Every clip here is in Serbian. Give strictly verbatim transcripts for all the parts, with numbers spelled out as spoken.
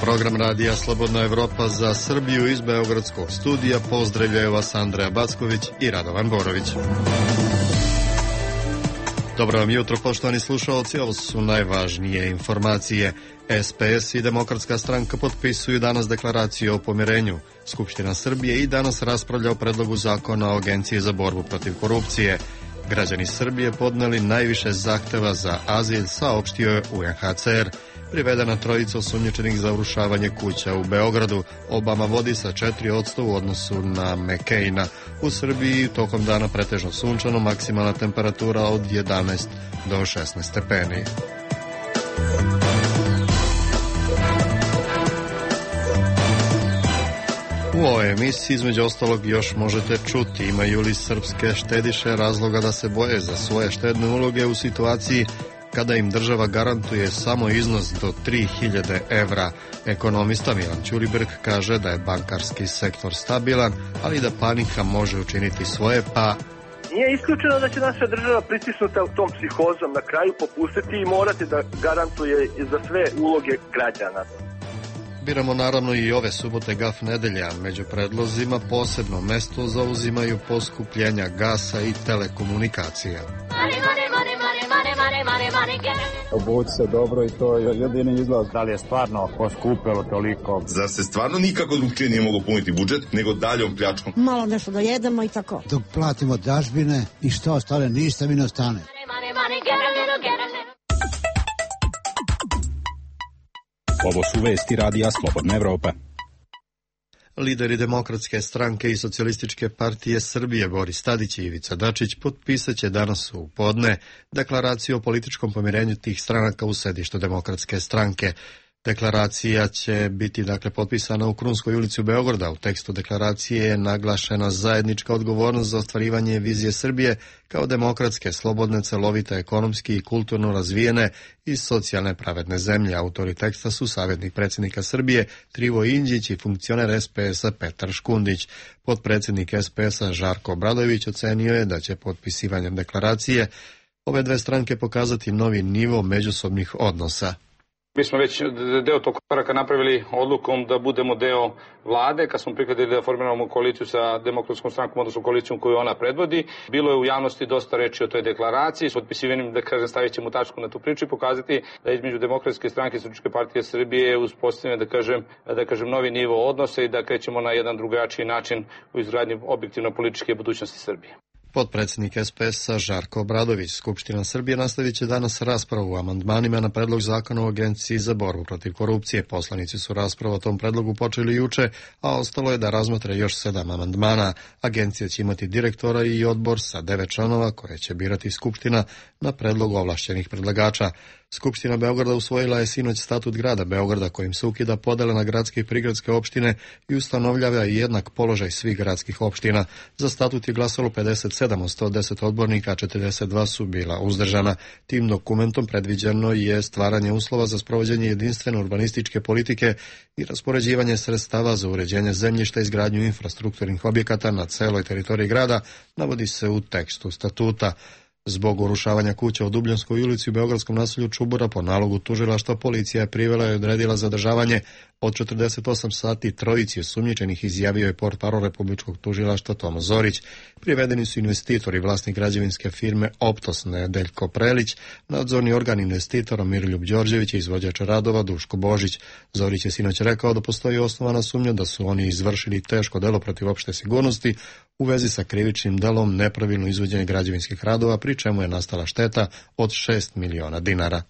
Program radija Slobodna Evropa za Srbiju iz Beogradskog studija. Pozdravljaju vas Andreja Backović i Radovan Borović. Dobro vam jutro, poštovani slušalci, ovo su najvažnije informacije. S P S i Demokratska stranka potpisuju danas deklaraciju o pomirenju. Skupština Srbije i danas raspravlja o predlogu zakona o Agenciji za borbu protiv korupcije. Građani Srbije podneli najviše zahteva za azil, saopštio je U N H C R. Privedena trojica osumnjičenih za urušavanje kuća u Beogradu. Obama vodi sa četiri posto u odnosu na McCaina. U Srbiji tokom dana pretežno sunčano, maksimalna temperatura od jedanaest do šesnaest stepeni. U ovoj emisiji između ostalog još možete čuti imaju li srpske štediše razloga da se boje za svoje štedne uloge u situaciji kada im država garantuje samo iznos do tri hiljade evra. Ekonomista Milan Ćuriberg kaže da je bankarski sektor stabilan, ali da panika može učiniti svoje, pa nije isključeno da će naša država pritisnuta u tom psihozom na kraju popustiti i morati da garantuje za sve uloge građana. Biramo naravno i ove subote gaf nedelja. Među predlozima posebno mesto zauzimaju poskupljenja gasa i telekomunikacija. Obući se dobro i to je jedini izlaz. Da li je stvarno poskupelo toliko? Zar se stvarno nikako drugčije nije moglo puniti budžet nego daljom pljačkom? Malo nešto da jedemo i tako. Dok platimo dažbine i što ostane, ništa mi ne ostane. Ovo su vesti radija Slobodna Evropa. Lideri Demokratske stranke i Socijalističke partije Srbije Boris Tadić i Ivica Dačić potpisat će danas u podne deklaraciju o političkom pomirenju tih stranaka u sedištu Demokratske stranke. Deklaracija će biti dakle potpisana u Krunskoj ulici u Beograda. U tekstu deklaracije je naglašena zajednička odgovornost za ostvarivanje vizije Srbije kao demokratske, slobodne, celovite, ekonomski i kulturno razvijene i socijalne pravedne zemlje. Autori teksta su savjetnik predsjednika Srbije Trivo Inđić i funkcioner S P S-a Petar Škundić. Potpredsjednik S P S-a Žarko Obradović ocenio je da će potpisivanjem deklaracije ove dve stranke pokazati novi nivo međusobnih odnosa. Mi smo već deo tog koraka napravili odlukom da budemo deo vlade, kad smo prihvatili da formiramo koaliciju sa Demokratskom strankom, odnosno koalicijom koju ona predvodi. Bilo je u javnosti dosta reči o toj deklaraciji, s potpisivanjem, da kažem, stavit ćemo tačku na tu priču i pokazati da između Demokratske stranke i Socijalističke partije Srbije uspostavljeno, da kažem, da kažem, novi nivo odnosa i da krećemo na jedan drugačiji način u izgradnji objektivno političke budućnosti Srbije. Potpredsjednik S P S-a Žarko Obradović. Skupština Srbije nastavit će danas raspravu o amandmanima na predlog zakona o Agenciji za borbu protiv korupcije. Poslanici su raspravu o tom predlogu počeli juče, a ostalo je da razmotre još sedam amandmana. Agencija će imati direktora i odbor sa devet članova koje će birati Skupština na predlog ovlašćenih predlagača. Skupština Beograda usvojila je sinoć statut grada Beograda kojim se ukida podela na gradske i prigradske opštine i ustanovljava jednak položaj svih gradskih opština. Za statut je glasalo pedeset sedam od sto deset odbornika, a četrdeset dva su bila uzdržana. Tim dokumentom predviđeno je stvaranje uslova za sprovođenje jedinstvene urbanističke politike i raspoređivanje sredstava za uređenje zemljišta i izgradnju infrastrukturnih objekata na celoj teritoriji grada, navodi se u tekstu statuta. Zbog urušavanja kuća u Dubljanskoj ulici u beogradskom naselju Čubura po nalogu tužilaštva policija je privela i odredila zadržavanje od četrdeset osam sati trojici osumnjičenih, izjavio je portparol republičkog tužilaštva Tomo Zorić. Privedeni su investitori, vlasnik građevinske firme Optos Nedeljko Prelić, nadzorni organ investitora Miroljub Đorđević i izvođač radova Duško Božić. Zorić je sinoć rekao da postoji osnovana sumnja da su oni izvršili teško delo protiv opšte sigurnosti u vezi sa krivičnim delom nepravilno izvođenje građevinskih radova, pri čemu je nastala šteta od šest miliona dinara.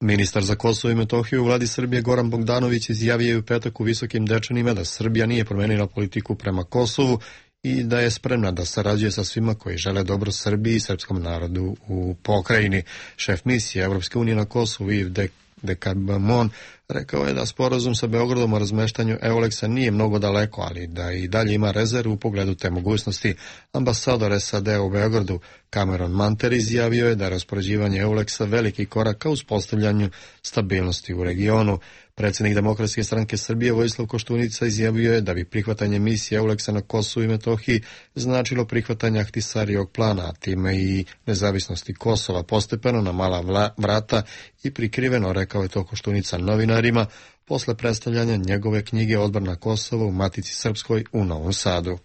Ministar za Kosovo i Metohiju u vladi Srbije Goran Bogdanović izjavio je u petak u Visokim Dečanima da Srbija nije promenila politiku prema Kosovu i da je spremna da sarađuje sa svima koji žele dobro Srbiji i srpskom narodu u pokrajini. Šef misije Evropske unije na Kosovu Yves de Decabamon Rekao je da sporazum sa Beogradom o razmeštanju Euleksa nije mnogo daleko, ali da i dalje ima rezervu u pogledu te mogućnosti. Ambasador S A D u Beogradu Cameron Manter izjavio je da je raspoređivanje Euleksa veliki korak ka uspostavljanju stabilnosti u regionu. Predsjednik Demokratske stranke Srbije Vojislav Koštunica izjavio je da bi prihvatanje misije Euleksa na Kosovu i Metohiji značilo prihvatanje Ahtisarijevog plana, a time i nezavisnosti Kosova postepeno na mala vrata i prikriveno, rekao je to Koštunica novinarima, posle predstavljanja njegove knjige Odbor na Kosovo u Matici Srpskoj u Novom Sadu.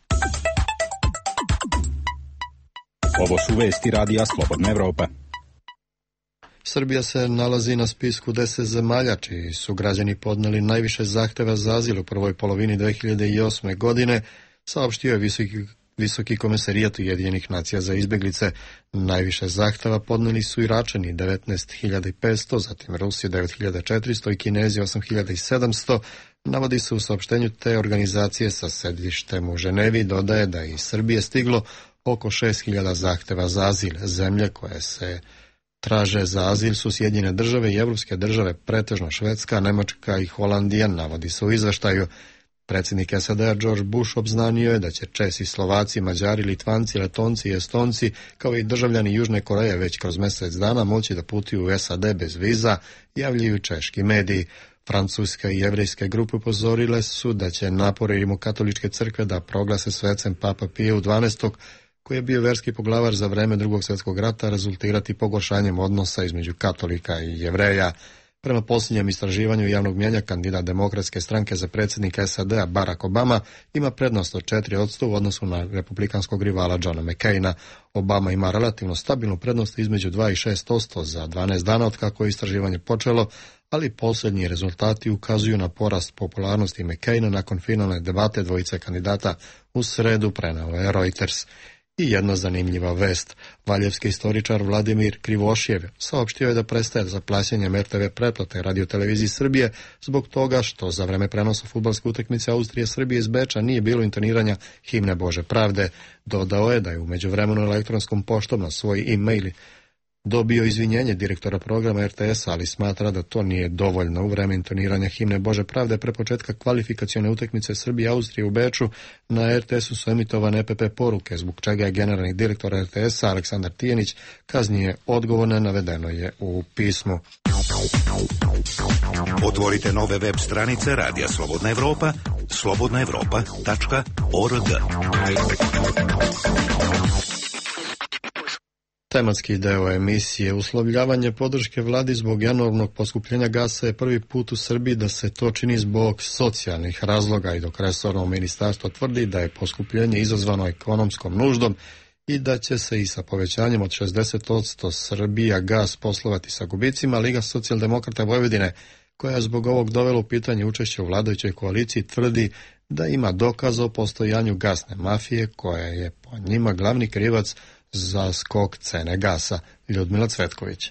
Ovo su vesti radija Slobodna Evropa. Srbija se nalazi na spisku deset zemalja čiji su građani podneli najviše zahteva za azil u prvoj polovini dve hiljade osme. godine, saopštio je visoki, visoki komesarijat Ujedinjenih nacija za izbeglice. Najviše zahteva podneli su Iračani devetnaest hiljada petsto, zatim Rusi devet hiljada četiristo i Kinezi osam hiljada sedamsto. Navodi se u saopštenju te organizacije sa sedištem u Ženevi, dodaje da je iz Srbije stiglo oko šest hiljada zahteva za azil. Zemlje koje se traže za azil su Sjedinjene države i evropske države, pretežno Švedska, Nemačka i Holandija, navodi se u izveštaju. Predsjednik S A D George Bush obznanio je da će Česi, Slovaci, Mađari, Litvanci, Letonci i Estonci, kao i državljani Južne Koreje već kroz mjesec dana moći da putuju u S A D bez viza, javljaju češki mediji. Francuska i jevrejske grupe upozorile su da će napori Rimokatoličke crkve da proglase svecem Papa Piju dvanaestog koji je bio verski poglavar za vreme Drugog svjetskog rata, rezultirati pogoršanjem odnosa između katolika i jevreja. Prema posljednjem istraživanju javnog mnijenja, kandidat Demokratske stranke za predsjednika S A D-a Barack Obama ima prednost od četiri posto u odnosu na republikanskog rivala Johna McCaina. Obama ima relativno stabilnu prednost između dva i šest posto za dvanaest dana od kako je istraživanje počelo, ali posljednji rezultati ukazuju na porast popularnosti McCaina nakon finalne debate dvojice kandidata u sredu, preneo je Reuters. I jedna zanimljiva vest. Valjevski istoričar Vladimir Krivošjev saopštio je da prestaje za plaćanjem R T V pretplate radioteleviziji Srbije zbog toga što za vreme prenosa fudbalske utakmice Austrije-Srbije iz Beča nije bilo intoniranja himne Bože pravde. Dodao je da je u međuvremenu elektronskom poštom na svoj e-mail dobio izvinjenje direktora programa R T S-a, ali smatra da to nije dovoljno. U vreme intoniranja himne Bože pravde pre početka kvalifikacione utakmice Srbije i Austrije u Beču na R T S-u su emitovane E P P poruke, zbog čega je generalni direktor R T S-a Aleksandar Tijanić kaznije odgovorno, navedeno je u pismu. Otvorite nove web stranice Radija Slobodna Evropa, slobodna evropa tačka org. Tematski deo emisije uslovljavanje podrške vladi zbog enormnog poskupljenja gasa je prvi put u Srbiji da se to čini zbog socijalnih razloga i dok resorno ministarstvo tvrdi da je poskupljenje izazvano ekonomskom nuždom i da će se i sa povećanjem od šezdeset posto Srbija gas poslovati sa gubicima, Liga socijaldemokrata Vojvodine, koja je zbog ovog dovela u pitanje učešće u vladajućoj koaliciji, tvrdi da ima dokaza o postojanju gasne mafije koja je po njima glavni krivac za skok cene gasa. Ljudmila Cvetković.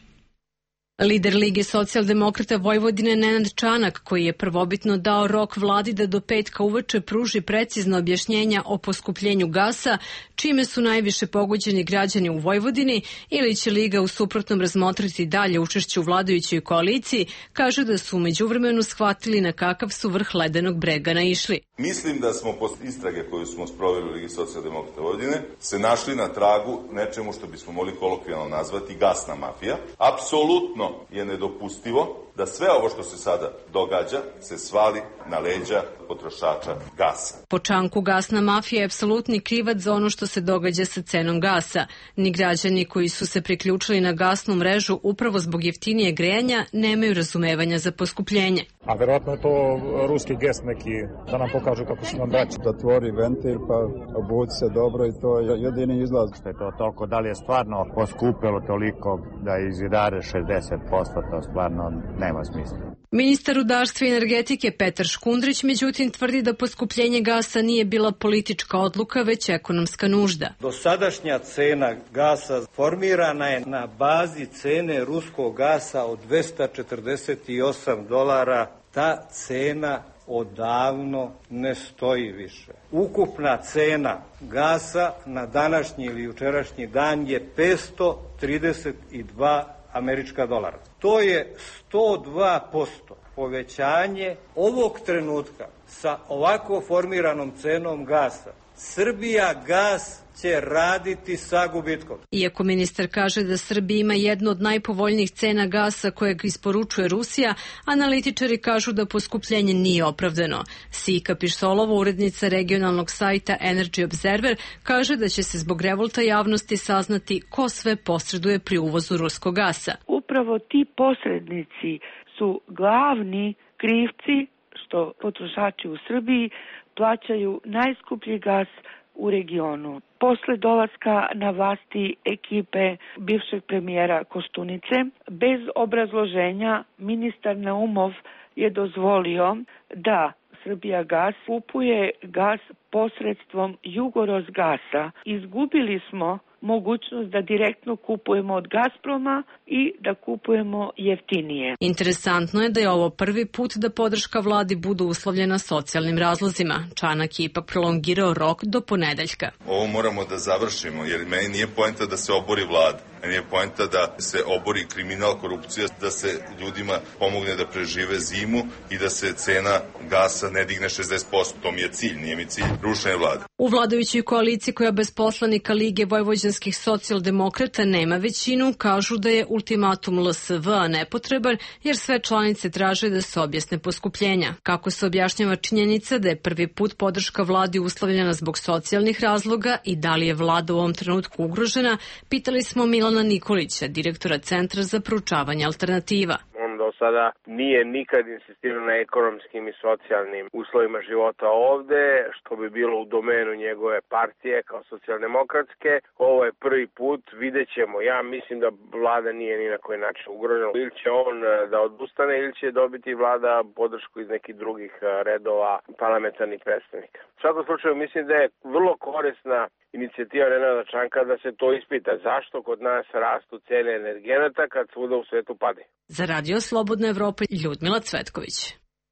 Lider Lige socijaldemokrata Vojvodine Nenad Čanak, koji je prvobitno dao rok vladi da do petka uveče pruži precizno objašnjenja o poskupljenju gasa, čime su najviše pogođeni građani u Vojvodini, ili će Liga u suprotnom razmotriti dalje učešće u vladajućoj koaliciji, kaže da su u međuvremenu shvatili na kakav su vrh ledenog brega naišli. Mislim da smo posle istrage koju smo sproveli u Ligi socijaldemokrata Vojvodine se našli na tragu nečemu što bismo mogli kolokvijalno nazvati gasna mafija. Apsolutno je nedopustivo da sve ovo što se sada događa se svali na leđa potrošača gasa. Po Čanku gasna mafija je apsolutni krivac za ono što se događa sa cenom gasa. Ni građani koji su se priključili na gasnu mrežu upravo zbog jeftinije grejanja nemaju razumevanja za poskupljenje. A verovatno je to ruski gest neki da nam pokažu kako su nam braći. Zatvori ventil pa obuci se dobro i to je jedini izlaz. Što je to toliko, da li je stvarno poskupilo toliko da izidare šezdeset posto, to stvarno nema smisla. Ministar rudarstva i energetike Petar Škundrić međutim tvrdi da poskupljenje gasa nije bila politička odluka, već ekonomska nužda. Dosadašnja cena gasa formirana je na bazi cene ruskog gasa od dvesta četrdeset osam dolara. Ta cena odavno ne stoji više. Ukupna cena gasa na današnji ili jučerašnji dan je petsto trideset dva američka dolara. To je sto dva posto povećanje ovog trenutka sa ovako formiranom cenom gasa, Srbija gas će raditi sa gubitkom. Iako ministar kaže da Srbija ima jednu od najpovoljnijih cena gasa kojeg isporučuje Rusija, analitičari kažu da poskupljenje nije opravdano. Sika Pišsolova, urednica regionalnog sajta Energy Observer, kaže da će se zbog revolta javnosti saznati ko sve posreduje pri uvozu ruskog gasa. Upravo ti posrednici su glavni krivci što potrošači u Srbiji plaćaju najskuplji gas u regionu. Posle dolaska na vlasti ekipe bivšeg premijera Koštunice, bez obrazloženja ministar Naumov je dozvolio da Srbijagas kupuje gas posredstvom Jugorosgasa. Izgubili smo mogućnost da direktno kupujemo od Gazproma i da kupujemo jeftinije. Interesantno je da je ovo prvi put da podrška vladi bude uslovljena socijalnim razlozima. Čanak je ipak prolongirao rok do ponedeljka. Ovo moramo da završimo, jer meni nije poenta da se obori vlada. Meni je poenta da se obori kriminal, korupcija, da se ljudima pomogne da prežive zimu i da se cena gasa ne digne šezdeset posto. To mi je cilj, nije mi cilj rušenje vlade. U vladajućoj koaliciji koja bez poslanika Lige vojvođanskih socijaldemokrata nema većinu, kažu da je ultimatum L S V nepotreban jer sve članice traže da se objasne poskupljenja. Kako se objašnjava činjenica da je prvi put podrška vladi uslovljena zbog socijalnih razloga i da li je vlada u ovom trenutku ugrožena, pitali smo Milana Nikolića, direktora Centra za proučavanje alternativa. On do sada nije nikad insistirao na ekonomskim i socijalnim uslovima života ovde, što bi bilo u domenu njegove partije kao socijaldemokratske. Ovo je prvi put, vidjet ćemo. Ja mislim da vlada nije ni na koji način ugrožena. Ili će on da odustane ili će dobiti vlada podršku iz nekih drugih redova parlamentarnih predstavnika. U svakom slučaju mislim da je vrlo korisna inicijativa Nenada Čanka da se to ispita. Zašto kod nas rastu cene energenata kad svuda u svetu pade? Za Radio Slobodna Evropa, Ljudmila Cvetković.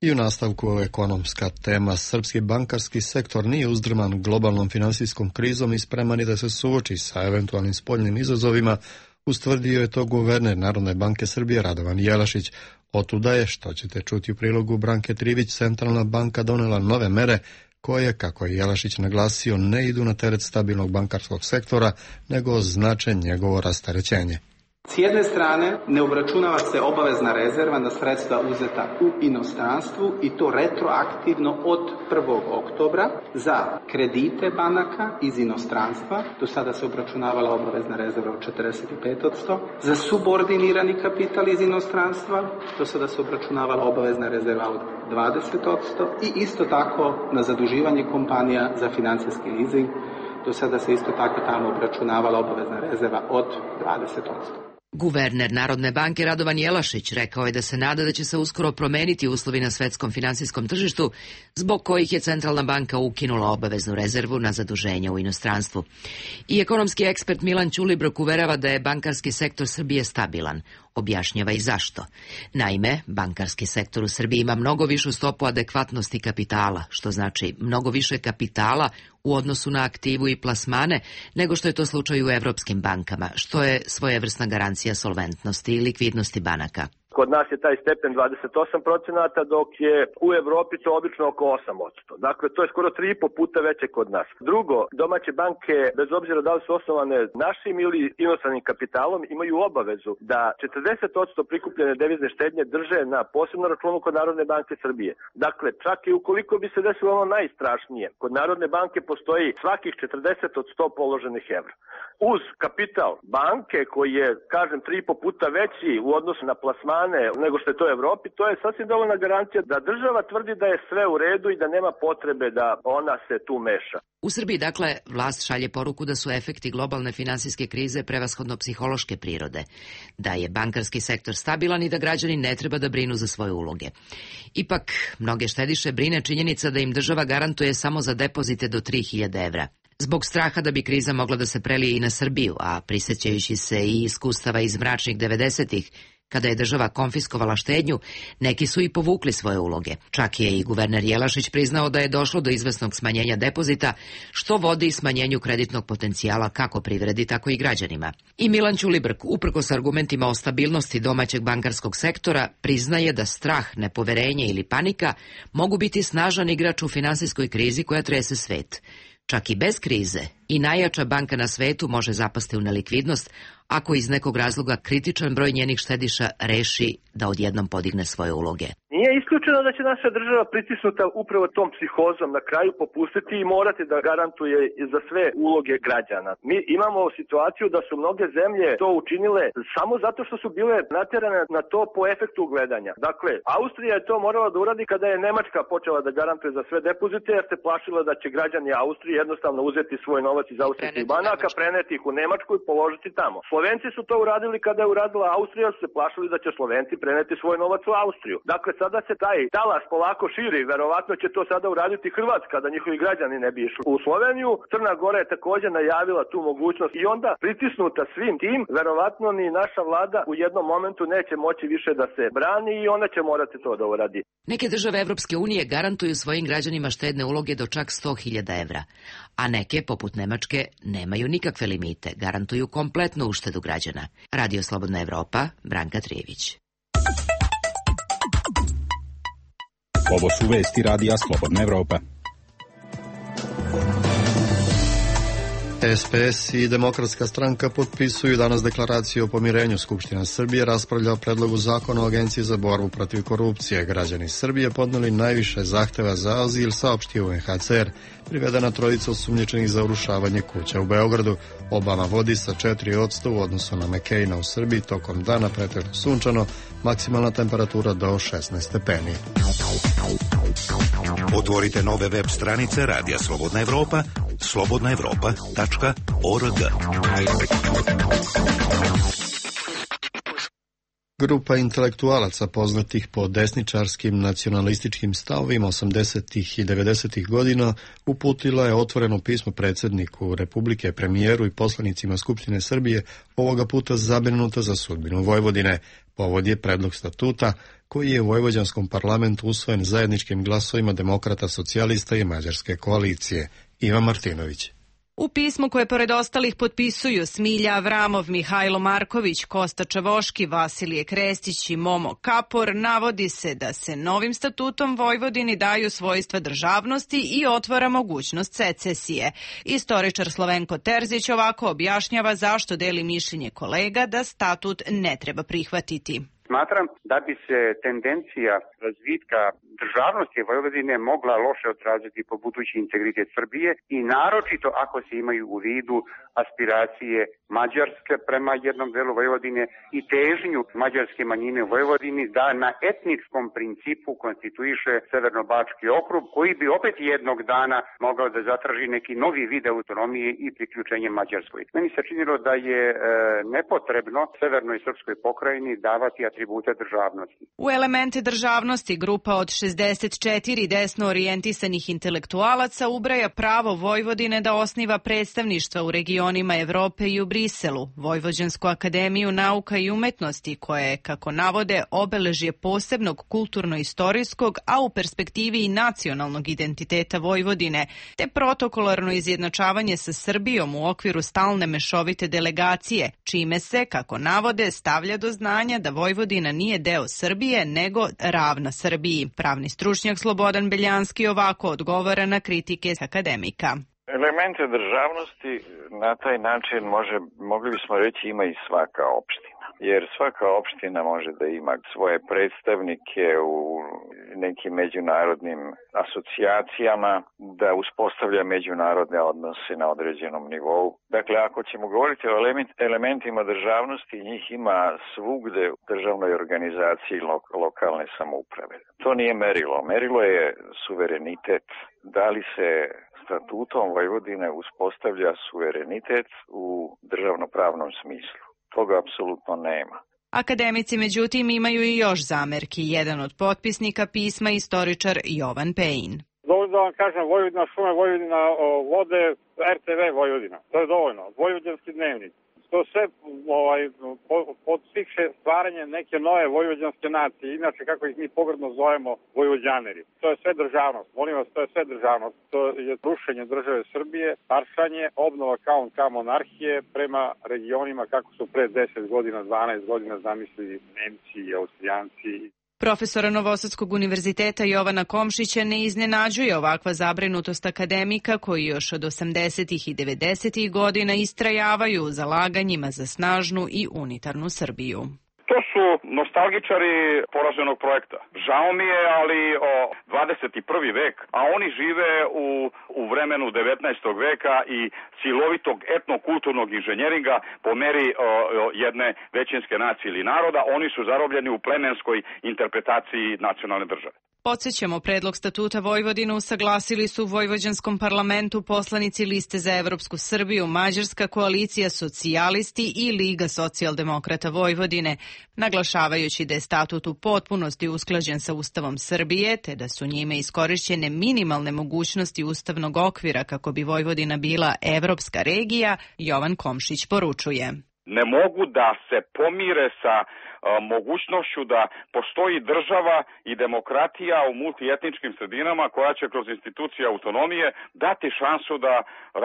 I u nastavku ekonomska tema. Srpski bankarski sektor nije uzdrman globalnom finansijskom krizom i spreman je da se suoči sa eventualnim spoljnim izazovima, ustvrdio je to guverner Narodne banke Srbije Radovan Jelašić. Otuda je, što ćete čuti u prilogu Branke Trivić, Centralna banka donela nove mere koje, kako je Jelašić naglasio, ne idu na teret stabilnog bankarskog sektora, nego znače njegovo rasterećenje. S jedne strane, ne obračunava se obavezna rezerva na sredstva uzeta u inostranstvu i to retroaktivno od prvog oktobra za kredite banaka iz inostranstva. Do sada se obračunavala obavezna rezerva od četrdeset pet posto. Za subordinirani kapital iz inostranstva do sada se obračunavala obavezna rezerva od dvadeset posto i isto tako na zaduživanje kompanija za financijski leasing. Do sada se isto tako tamo obračunavala obavezna rezerva od dvadeset posto. Guverner Narodne banke Radovan Jelašić rekao je da se nada da će se uskoro promeniti uslovi na svetskom finansijskom tržištu, zbog kojih je Centralna banka ukinula obaveznu rezervu na zaduženje u inostranstvu. I ekonomski ekspert Milan Ćulibrk uverava da je bankarski sektor Srbije stabilan. Objašnjava i zašto. Naime, bankarski sektor u Srbiji ima mnogo višu stopu adekvatnosti kapitala, što znači mnogo više kapitala u odnosu na aktivu i plasmane nego što je to slučaj u evropskim bankama, što je svojevrsna garancija solventnosti i likvidnosti banaka. Kod nas je taj stepen dvadeset osam procenata, dok je u Evropi to obično oko osam posto. Dakle, to je skoro tri i po puta veće kod nas. Drugo, domaće banke, bez obzira da li su osnovane našim ili inostranim kapitalom, imaju obavezu da četrdeset posto prikupljene devizne štednje drže na posebnom računu kod Narodne banke Srbije. Dakle, čak i ukoliko bi se desilo ono najstrašnije, kod Narodne banke postoji svakih četrdeset od sto položenih evra. Uz kapital banke koji je, kažem, tri i po puta veći u odnosu na plasmane nego što je to u Evropi, to je sasvim dovoljna garancija da država tvrdi da je sve u redu i da nema potrebe da ona se tu meša. U Srbiji, dakle, vlast šalje poruku da su efekti globalne finansijske krize prevashodno psihološke prirode, da je bankarski sektor stabilan i da građani ne treba da brinu za svoje uloge. Ipak, mnoge štediše brine činjenica da im država garantuje samo za depozite do tri hiljade evra. Zbog straha da bi kriza mogla da se prelije i na Srbiju, a prisjećajući se i iskustava iz mračnih devedesetih, Kada je država konfiskovala štednju, neki su i povukli svoje uloge. Čak je i guverner Jelašić priznao da je došlo do izvesnog smanjenja depozita, što vodi smanjenju kreditnog potencijala kako privredi, tako i građanima. I Milan Ćulibrk, uprkos argumentima o stabilnosti domaćeg bankarskog sektora, priznaje da strah, nepoverenje ili panika mogu biti snažan igrač u finansijskoj krizi koja trese svet. Čak i bez krize i najjača banka na svetu može zapasti u nelikvidnost ako iz nekog razloga kritičan broj njenih štediša reši da odjednom podigne svoje uloge. Nije isključeno da će naša država pritisnuta upravo tom psihozom na kraju popustiti i morati da garantuje za sve uloge građana. Mi imamo situaciju da su mnoge zemlje to učinile samo zato što su bile natjerane na to po efektu gledanja. Dakle, Austrija je to morala da uradi kada je Nemačka počela da garantuje za sve depozite, jer se plašila da će građani Austrije jednostavno uzeti svoj novac iz austrijskih banaka, preneti ih u Nemačku i položiti tamo. Slovenci su to uradili kada je uradila Austrija, su se plašili da će Slovenci preneti svoj novac u Austriju. Dakle, sada se taj talas polako širi, verovatno će to sada uraditi Hrvatska, da njihovi građani ne bi išli u Sloveniju. Crna Gora je također najavila tu mogućnost i onda pritisnuta svim tim, verovatno ni naša vlada u jednom momentu neće moći više da se brani i ona će morati to da uradi. Neke države Evropske unije garantuju svojim građanima štedne uloge do čak sto hiljada evra, a neke, poput Nemačke, nemaju nikakve limite, garantuju kompletnu uštedu građana. Radio Slobodna Evropa, Branka Trijević. Ovo su vesti Radija Slobodna Evropa. S P S i Demokratska stranka potpisuju danas deklaraciju o pomirenju. Skupština Srbije raspravlja o predlogu zakona o Agenciji za borbu protiv korupcije. Građani Srbije podneli najviše zahteva za azil, saopštio U N H C R. Privedena trojica osumnjičenih za urušavanje kuća u Beogradu. Obama vodi sa četiri posto u odnosu na McCaina u Srbiji. Tokom dana pretežno sunčano, maksimalna temperatura do šesnaest stepeni. Otvorite nove web stranice Radija Slobodna Evropa, slobodna evropa tačka org. Grupa intelektualaca poznatih po desničarskim nacionalističkim stavovima osamdesetih i devedesetih godina uputila je otvoreno pismo predsjedniku Republike, premijeru i poslanicima Skupštine Srbije, ovoga puta zabrinuta za sudbinu Vojvodine. Povod je predlog statuta koji je u vojvođanskom parlamentu usvojen zajedničkim glasovima demokrata, socijalista i mađarske koalicije. Ivan Martinović. U pismu koje pored ostalih potpisuju Smilja Avramov, Mihajlo Marković, Kosta Čavoški, Vasilije Krestić i Momo Kapor navodi se da se novim statutom Vojvodini daju svojstva državnosti i otvara mogućnost secesije. Istoričar Slovenko Terzić ovako objašnjava zašto deli mišljenje kolega da statut ne treba prihvatiti. Smatram da bi se tendencija razvitka državnosti Vojvodine mogla loše odraziti po budući integritet Srbije i naročito ako se imaju u vidu aspiracije Mađarske prema jednom delu Vojvodine i težnju mađarske manjine u Vojvodini da na etničkom principu konstituiše Severno-Bački okrug, koji bi opet jednog dana mogao da zatraži neki novi vid autonomije i priključenje Mađarskoj. Meni se činilo da je e, nepotrebno Severnoj Srpskoj pokrajini davati atribute državnosti. U elemente državnosti grupa od šezdeset četiri desno orijentisanih intelektualaca ubraja pravo Vojvodine da osniva predstavništva u regionima Evrope i u Briselu, Vojvođansku akademiju nauka i umetnosti, koja je, kako navode, obeležje posebnog kulturno-istorijskog, a u perspektivi i nacionalnog identiteta Vojvodine, te protokolarno izjednačavanje sa Srbijom u okviru stalne mešovite delegacije, čime se, kako navode, stavlja do znanja da Vojvodina nije deo Srbije, nego ravna Srbiji. Pravni stručnjak Slobodan Beljanski ovako odgovara na kritike akademika. Elemente državnosti na taj način može, mogli bismo reći, ima i svaka opština. Jer svaka opština može da ima svoje predstavnike u nekim međunarodnim asocijacijama, da uspostavlja međunarodne odnose na određenom nivou. Dakle, ako ćemo govoriti o element, elementima državnosti, njih ima svugde u državnoj organizaciji lo, lokalne samouprave. To nije merilo. Merilo je suverenitet. Da li se statutom Vojvodine uspostavlja suverenitet u državnopravnom smislu? Toga apsolutno nema. Akademici, međutim, imaju i još zamerki. Jedan od potpisnika pisma, istoričar Jovan Pejin. Dovoljno da vam kažem Vojvodina šume, Vojvodina vode, R T V Vojvodina. To je dovoljno. Vojvođanski dnevnik. To sve ovaj, podstiče stvaranje neke nove vojvođanske nacije, inače kako ih mi pogrdno zovemo vojvođaneri. To je sve državnost, molim vas, to je sve državnost. To je rušenje države Srbije, paršanje, obnova kao ka monarhije prema regionima kako su pre deset godina, dvanaest godina zamislili Nemci i Austrijanci. Profesora Novosadskog univerziteta Jovana Komšića ne iznenađuje ovakva zabrinutost akademika koji još od osamdesetih i devedesetih godina istrajavaju u zalaganjima za snažnu i unitarnu Srbiju. To su nostalgičari poraženog projekta. Žao mi je, ali o dvadeset prvi vek, a oni žive u, u vremenu devetnaestog veka i silovitog etnokulturnog inženjeringa po meri o, o, jedne većinske nacije ili naroda. Oni su zarobljeni u plemenskoj interpretaciji nacionalne države. Podsjećamo, predlog statuta Vojvodine usaglasili su u Vojvođanskom parlamentu poslanici Liste za Evropsku Srbiju, Mađarska koalicija, socijalisti i Liga socijaldemokrata Vojvodine, naglašavajući da je statut u potpunosti usklađen sa Ustavom Srbije, te da su njime iskorišćene minimalne mogućnosti ustavnog okvira kako bi Vojvodina bila evropska regija, Jovan Komšić poručuje. Ne mogu da se pomire sa mogućnošću da postoji država i demokratija u multietničkim sredinama koja će kroz institucije autonomije dati šansu da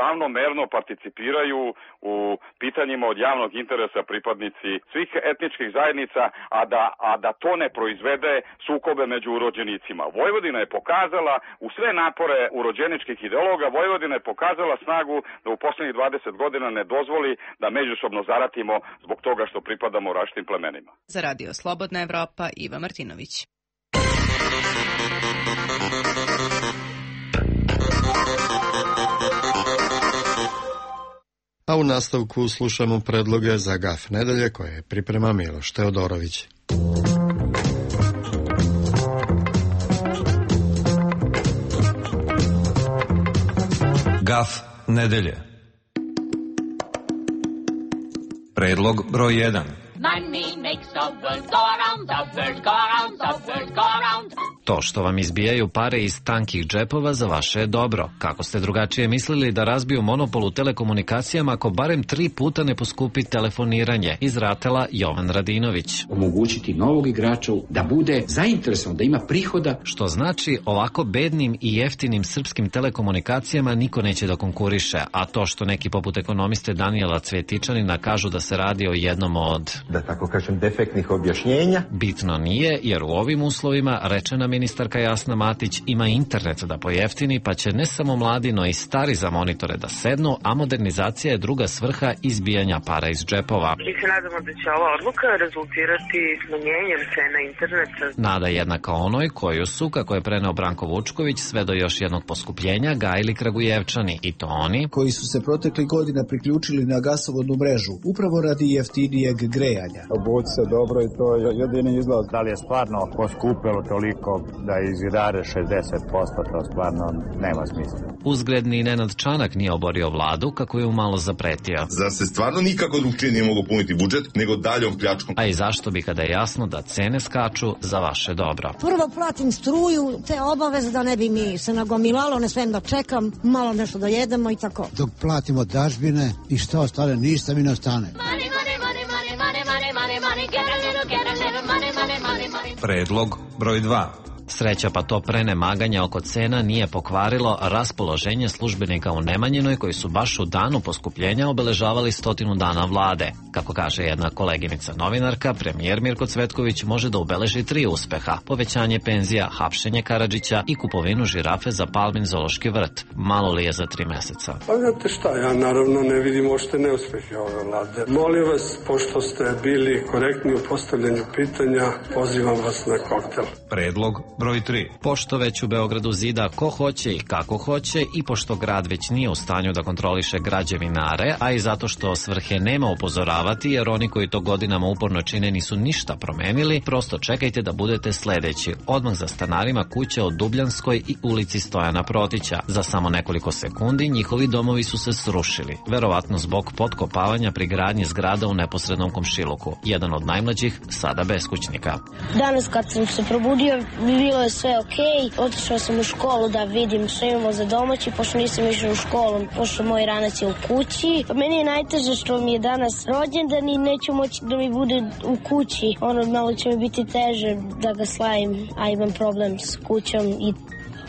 ravnomerno participiraju u pitanjima od javnog interesa pripadnici svih etničkih zajednica, a da, a da to ne proizvede sukobe među urođenicima. Vojvodina je pokazala u sve napore urođeničkih ideologa, Vojvodina je pokazala snagu da u poslednjih dvadeset godina ne dozvoli da međusobno zaratimo zbog toga što pripadamo različitim plemenima. Za Radio Slobodna Evropa, Iva Martinović. A u nastavku slušamo predloge za gaf nedelje koje priprema Miloš Teodorović. Gaf nedelje. Predlog broj jedan. Money makes the world go around, the world go around, the world go around. To što vam izbijaju pare iz tankih džepova za vaše je dobro. Kako ste drugačije mislili da razbiju monopol u telekomunikacijama ako barem tri puta ne poskupi telefoniranje? Iz Ratela Jovan Radinović. Omogućiti novog igrača da bude zainteresovan, da ima prihoda. Što znači ovako bednim i jeftinim srpskim telekomunikacijama niko neće da konkuriše. A to što neki poput ekonomiste Danijela Cvjetičanina kažu da se radi o jednom od, da tako kažem, defektnih objašnjenja. Bitno nije, jer u ovim uslovima rečena ministarka Jasna Matić ima internet da pojeftini, pa će ne samo mladi, no i stari za monitore da sednu, a modernizacija je druga svrha izbijanja para iz džepova. Mi se nadamo da će ova odluka rezultirati smanjenjem cena interneta. Nada jednaka onoj koju su, kako je preneo Branko Vučković, sve do još jednog poskupljenja gajili Kragujevčani, i to oni koji su se protekli godina priključili na gasovodnu mrežu, upravo radi jeftinijeg grejanja. Obući se dobro i to je jedini izlaz. Da li je stvarno poskupelo toliko da izidare šezdeset posto, to stvarno nema smisla. Uzgredni Nenad Čanak nije oborio vladu kako je umalo zapretio. Zar se stvarno nikako drugčije nije mogo puniti budžet nego daljom pljačkom? A i zašto bi kada je jasno da cene skaču za vaše dobro? Prvo platim struju, te obaveze da ne bi mi se nagomilalo, ne svem da čekam, malo nešto da jedemo i tako. Dok platimo dažbine i što ostane, ništa mi ne ostane. Predlog broj dva. Sreća pa to prenemaganje oko cena nije pokvarilo raspoloženje službenika u Nemanjinoj koji su baš u danu poskupljenja obeležavali stotinu dana vlade. Kako kaže jedna koleginica novinarka, premijer Mirko Cvetković može da obeleži tri uspeha: povećanje penzija, hapšenje Karadžića i kupovinu žirafe za Palmin zoološki vrt. Malo li je za tri meseca? Pa znate šta, ja naravno ne vidim ošte neuspehe ove vlade. Molim vas, pošto ste bili korektni u postavljanju pitanja, pozivam vas na koktel. Predlog broj tri. Pošto već u Beogradu zida ko hoće i kako hoće i pošto grad već nije u stanju da kontroliše građevinare, a i zato što svrhe nema upozoravati jer oni koji to godinama uporno čine nisu ništa promenili, prosto čekajte da budete sledeći. Odmah za stanarima kuće od Dubljanskoj i ulici Stojana Protića. Za samo nekoliko sekundi njihovi domovi su se srušili, verovatno zbog potkopavanja pri gradnji zgrada u neposrednom komšiluku. Jedan od najmlađih sada beskućnika. Danas kad sam se probudio, bilo je sve okej. Otišao sam u školu da vidim što imamo za domaći, pošto nisam išao u školu, pošto moj ranac je u kući. Meni je najteže što mi je danas rođendan i neću moći da mi bude u kući. Ono, malo će mi biti teže da ga slavim, a imam problem s kućom, i...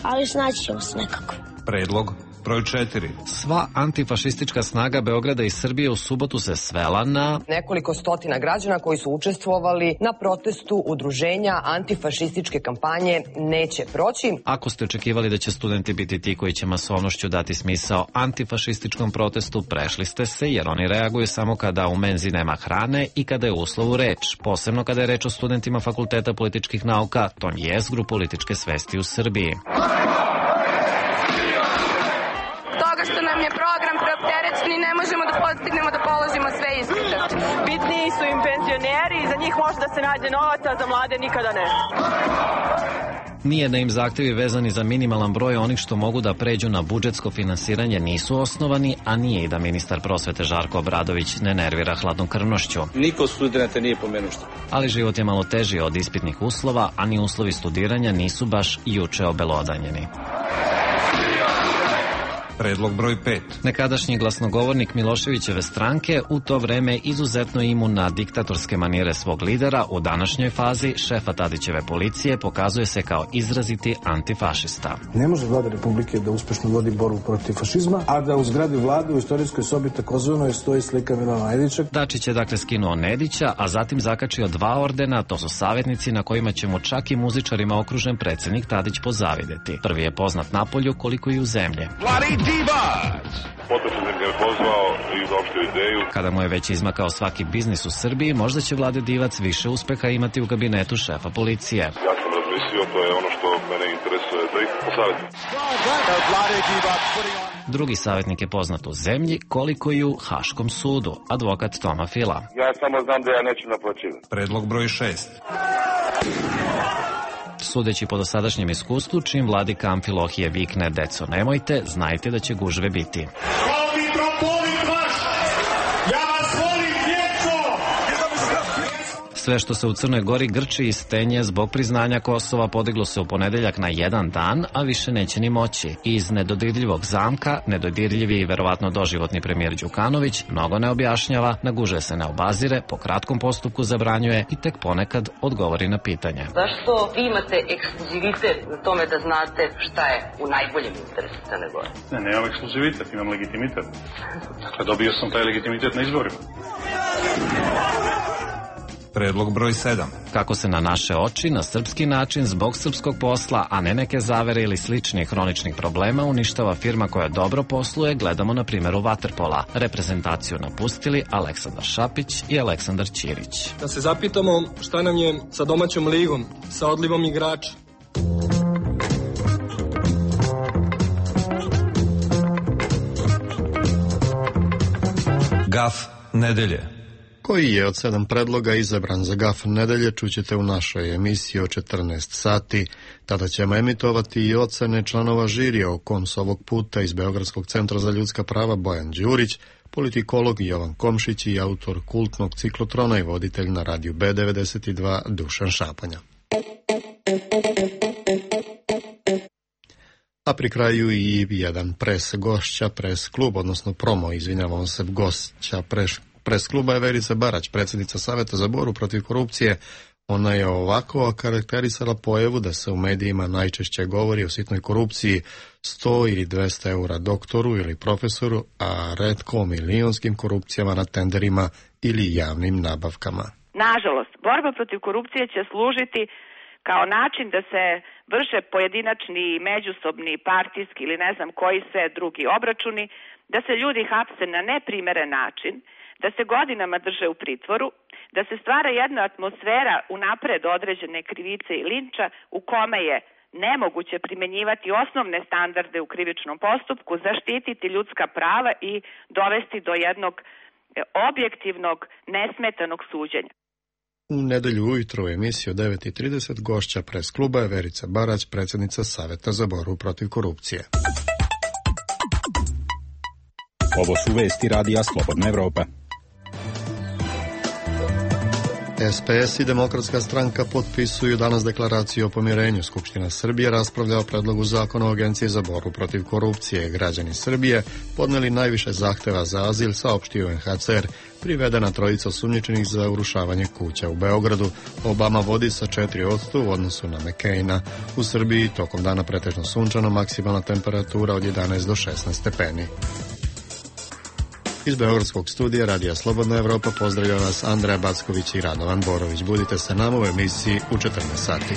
ali snaći ćemo se nekako. Predlog broj četiri. Sva antifašistička snaga Beograda i Srbije u subotu se svela na nekoliko stotina građana koji su učestvovali na protestu udruženja antifašističke kampanje Neće proći. Ako ste očekivali da će studenti biti ti koji će masovnošću dati smisao antifašističkom protestu, prešli ste se, jer oni reaguju samo kada u menzi nema hrane i kada je u uslovu reč. Posebno kada je reč o studentima Fakulteta političkih nauka, tom jezgru političke svesti u Srbiji. Toga što nam je program preopterećen i ne možemo da postignemo da položimo sve ispite. Bitniji su im penzioneri i za njih može da se nađe novac, a za mlade nikada ne. Nije da im zahtevi vezani za minimalan broj onih što mogu da pređu na budžetsko finansiranje nisu osnovani, a nije i da ministar prosvete Žarko Obradović ne nervira hladnokrvnošću. Niko studenta nije pomenuo što. Ali život je malo teži od ispitnih uslova, a ni uslovi studiranja nisu baš juče obelodanjeni. Predlog broj pet. Nekadašnji glasnogovornik Miloševićeve stranke, u to vreme izuzetno imun na diktatorske manire svog lidera, u današnjoj fazi šefa Tadićeve policije pokazuje se kao izraziti antifašista. Ne može vlada Republike da uspešno vodi borbu protiv fašizma, a da u zgradi vlade u istorijskoj sobi takozvanoj stoji slika Milana Nedića. Dačić je dakle skinuo Nedića, a zatim zakačio dva ordena, to su savjetnici na kojima će mu čak i muzičarima okružen predsjednik Tadić pozavideti. Prvi je poznat napolju koliko i u zemlji. Potom sam ga pozvao i uopštio ideju. Kada mu je već izmakao svaki biznis u Srbiji, možda će Vlade Divac više uspeha imati u kabinetu šefa policije. Ja sam razmislio, to je ono što mene interesuje, da ih posavjetim. Drugi savjetnik je poznat u zemlji, koliko i u Haškom sudu, advokat Toma Fila. Ja samo znam da ja neću naplaćivati. Predlog broj šest. Sudeći po dosadašnjem iskustvu, čim vladika Amfilohije vikne deco nemojte, znajte da će gužve biti. Sve što se u Crnoj Gori grči i stenje zbog priznanja Kosova podiglo se u ponedeljak na jedan dan, a više neće ni moći. Iz nedodirljivog zamka, nedodirljivi i verovatno doživotni premijer Đukanović mnogo ne objašnjava, na gužve se ne obazire, po kratkom postupku zabranjuje i tek ponekad odgovori na pitanje. Zašto vi imate ekskluzivitet na tome da znate šta je u najboljem interesu Crne Gore? Ne, nemam ekskluzivitet, imam legitimitet. Dakle, dobio sam taj legitimitet na izborima. Predlog broj sedam. Kako se na naše oči, na srpski način, zbog srpskog posla, a ne neke zavere ili sličnih hroničnih problema, uništava firma koja dobro posluje, gledamo na primjeru vaterpola. Reprezentaciju napustili Aleksandar Šapić i Aleksandar Ćirić. Da se zapitamo šta nam je sa domaćom ligom, sa odlivom igrača. Gaf nedelje. Koji je od sedam predloga izabran za Gaf nedelje, čućete u našoj emisiji o četrnaest sati. Tada ćemo emitovati i ocene članova žirija, o kom s ovog puta iz Beogradskog centra za ljudska prava Bojan Đurić, politikolog Jovan Komšić i autor kultnog ciklotrona i voditelj na radiju B devedeset dva Dušan Šapanja. A pri kraju i jedan pres gošća, pres klub, odnosno promo, izvinjavam se, gošća pres Pres kluba je Verica Barać, predsjednica Saveta za borbu protiv korupcije. Ona je ovako okarakterisala pojavu da se u medijima najčešće govori o sitnoj korupciji, sto ili dvesta eura doktoru ili profesoru, a retko o milionskim korupcijama na tenderima ili javnim nabavkama. Nažalost, borba protiv korupcije će služiti kao način da se vrše pojedinačni, međusobni, partijski ili ne znam koji sve drugi obračuni, da se ljudi hapse na neprimeren način, da se godinama drže u pritvoru, da se stvara jedna atmosfera unapred određene krivice i linča u kome je nemoguće primenjivati osnovne standarde u krivičnom postupku, zaštititi ljudska prava i dovesti do jednog objektivnog, nesmetanog suđenja. U nedelju ujutro u emisiji o devet i trideset gošća pres kluba je Verica Barać, predsjednica Saveta za borbu protiv korupcije. Ovo su vesti radija Slobodna Evropa. S P S i Demokratska stranka potpisuju danas deklaraciju o pomirenju. Skupština Srbije raspravlja o predlogu zakona o Agenciji za borbu protiv korupcije. Građani Srbije podneli najviše zahteva za azil, saopštio U N H C R. Privedena trojica osumnjičenih za urušavanje kuća u Beogradu. Obama vodi sa četiri odsto u odnosu na McCaina. U Srbiji tokom dana pretežno sunčano, maksimalna temperatura od jedanaest do šesnaest stepeni. Iz Beogradskog studija Radija Slobodna Evropa pozdravlja vas Andreja Backović i Radovan Borović. Budite sa nama u emisiji u četrnaest sati.